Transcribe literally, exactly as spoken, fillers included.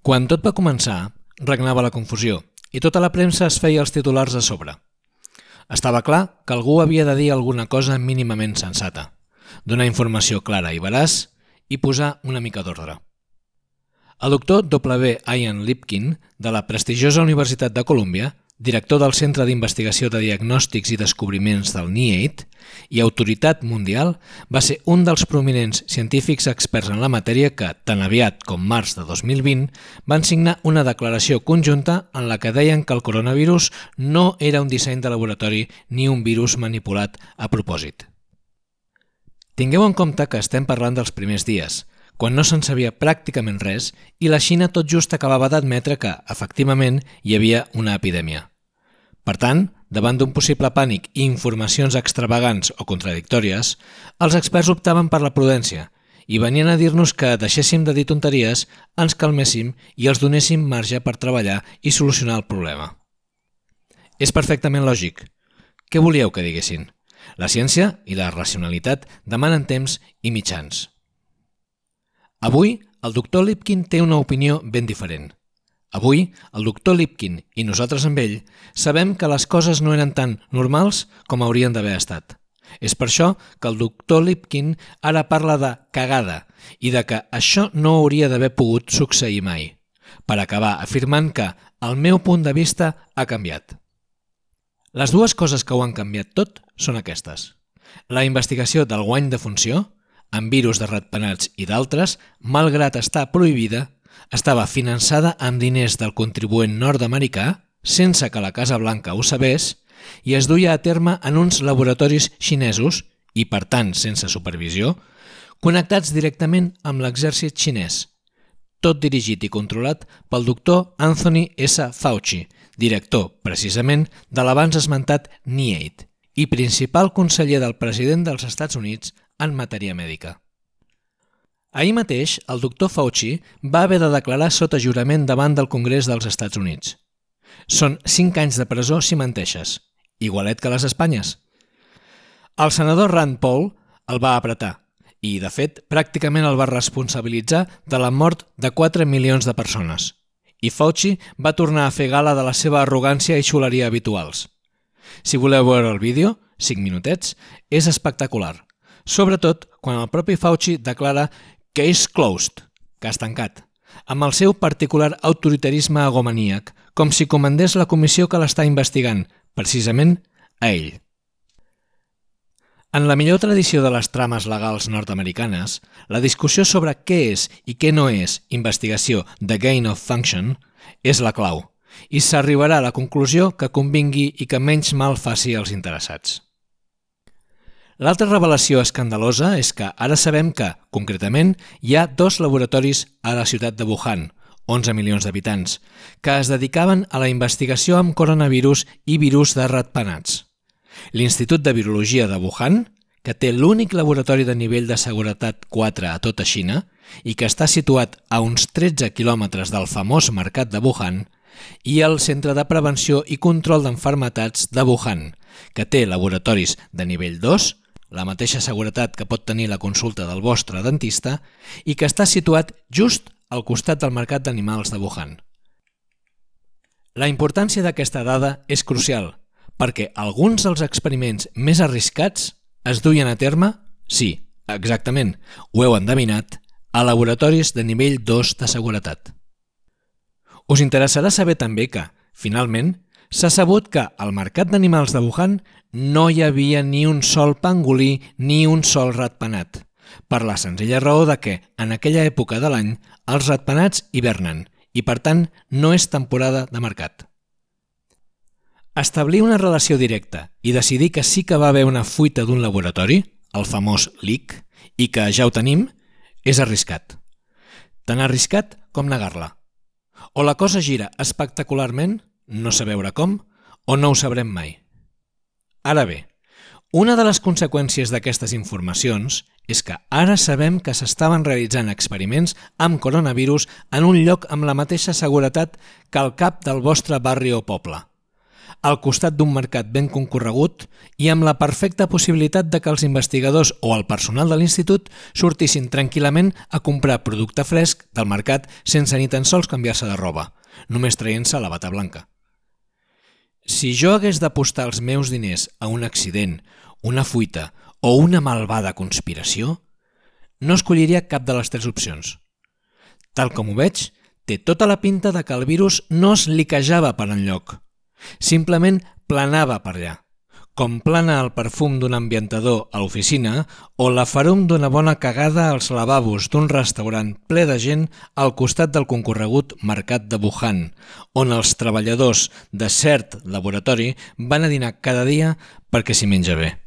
Quan tot va començar, regnava la confusió i tota la premsa es feia els titulars a sobre. Estava clar que algú havia de dir alguna cosa mínimament sensata, donar informació clara i veraç i posar una mica d'ordre. El doctor W. Ian Lipkin, de la prestigiosa Universitat de Colúmbia, director del Centre d'Investigació de Diagnòstics i Descobriments del N I A I D i autoritat mundial, va ser un dels prominents científics experts en la matèria que, tan aviat com març de dos mil vint, van signar una declaració conjunta en la que deien que el coronavirus no era un disseny de laboratori ni un virus manipulat a propòsit. Tingueu en compte que estem parlant dels primers dies, quan no se'n sabia pràcticament res i la Xina tot just acabava d'admetre que, efectivament, hi havia una epidèmia. Per tant, davant d'un possible pànic i informacions extravagants o contradictòries, els experts optaven per la prudència i venien a dir-nos que deixéssim de dir tonteries, ens calméssim i els donéssim marge per treballar i solucionar el problema. És perfectament lògic. Què volíeu que diguessin? La ciència i la racionalitat demanen temps i mitjans. Avui, el doctor Lipkin té una opinió ben diferent. Avui, el doctor Lipkin i nosaltres amb ell sabem que les coses no eren tan normals com haurien d'haver estat. És per això que el doctor Lipkin ara parla de cagada i de que això no hauria d'haver pogut succeir mai, per acabar afirmant que el meu punt de vista ha canviat. Les dues coses que ho han canviat tot són aquestes. La investigació del guany de funció, amb virus de ratpenats i d'altres, malgrat estar prohibida, estava finançada amb diners del contribuent nord-americà, sense que la Casa Blanca ho sabés, i es duia a terme en uns laboratoris xinesos, i per tant sense supervisió, connectats directament amb l'exèrcit xinès, tot dirigit i controlat pel doctor Anthony S. Fauci, director, precisament, de l'abans esmentat N I A I D i principal conseller del president dels Estats Units en matèria mèdica. Ahir mateix, el doctor Fauci va haver de declarar sota jurament davant del Congrés dels Estats Units. Són cinc anys de presó si menteixes, igualet que les Espanyes. El senador Rand Paul el va apretar i, de fet, pràcticament el va responsabilitzar de la mort de quatre milions de persones. I Fauci va tornar a fer gala de la seva arrogància i xuleria habituals. Si voleu veure el vídeo, cinc minutets, és espectacular. Sobretot quan el propi Fauci declara case closed, cas tancat, amb el seu particular autoritarisme agomaníac, com si comandés la comissió que l'està investigant, precisament a ell. En la millor tradició de les trames legals nord-americanes, la discussió sobre què és i què no és investigació de gain of function és la clau, i s'arribarà a la conclusió que convingui i que menys mal faci als interessats. L'altra revelació escandalosa és que ara sabem que, concretament, hi ha dos laboratoris a la ciutat de Wuhan, onze milions d'habitants, que es dedicaven a la investigació amb coronavirus i virus de ratpenats. L'Institut de Virologia de Wuhan, que té l'únic laboratori de nivell de seguretat quatre a tota Xina i que està situat a uns tretze quilòmetres del famós mercat de Wuhan, i el Centre de Prevenció i Control d'Enfermetats de Wuhan, que té laboratoris de nivell dos, la mateixa seguretat que pot tenir la consulta del vostre dentista, i que està situat just al costat del mercat d'animals de Wuhan. La importància d'aquesta dada és crucial, perquè alguns dels experiments més arriscats es duien a terme, sí, exactament, ho heu endevinat, a laboratoris de nivell dos de seguretat. Us interessarà saber també que, finalment, s'ha sabut que al mercat d'animals de Wuhan no hi havia ni un sol pangolí ni un sol ratpenat, per la senzilla raó de que, en aquella època de l'any, els ratpenats hivernen i, per tant, no és temporada de mercat. Establir una relació directa i decidir que sí que va haver una fuita d'un laboratori, el famós leak, i que ja ho tenim, és arriscat. Tan arriscat com negar-la. O la cosa gira espectacularment, no sé veure com, o no ho sabrem mai. Ara bé, una de les conseqüències d'aquestes informacions és que ara sabem que s'estaven realitzant experiments amb coronavirus en un lloc amb la mateixa seguretat que el cap del vostre barri o poble. al costat d'un mercat ben concorregut i amb la perfecta possibilitat de que els investigadors o el personal de l'institut sortissin tranquil·lament a comprar producte fresc del mercat sense ni tan sols canviar-se de roba, només traient-se la bata blanca. Si jo hagués d'apostar els meus diners a un accident, una fuita o una malvada conspiració, no escolliria cap de les tres opcions. Tal com ho veig, té tota la pinta de que el virus no es liquejava per enlloc, simplement planava per allà, com plana el perfum d'un ambientador a l'oficina o la ferum d'una bona cagada als lavabos d'un restaurant ple de gent al costat del concorregut mercat de Wuhan, on els treballadors de cert laboratori van a dinar cada dia perquè s'hi menja bé.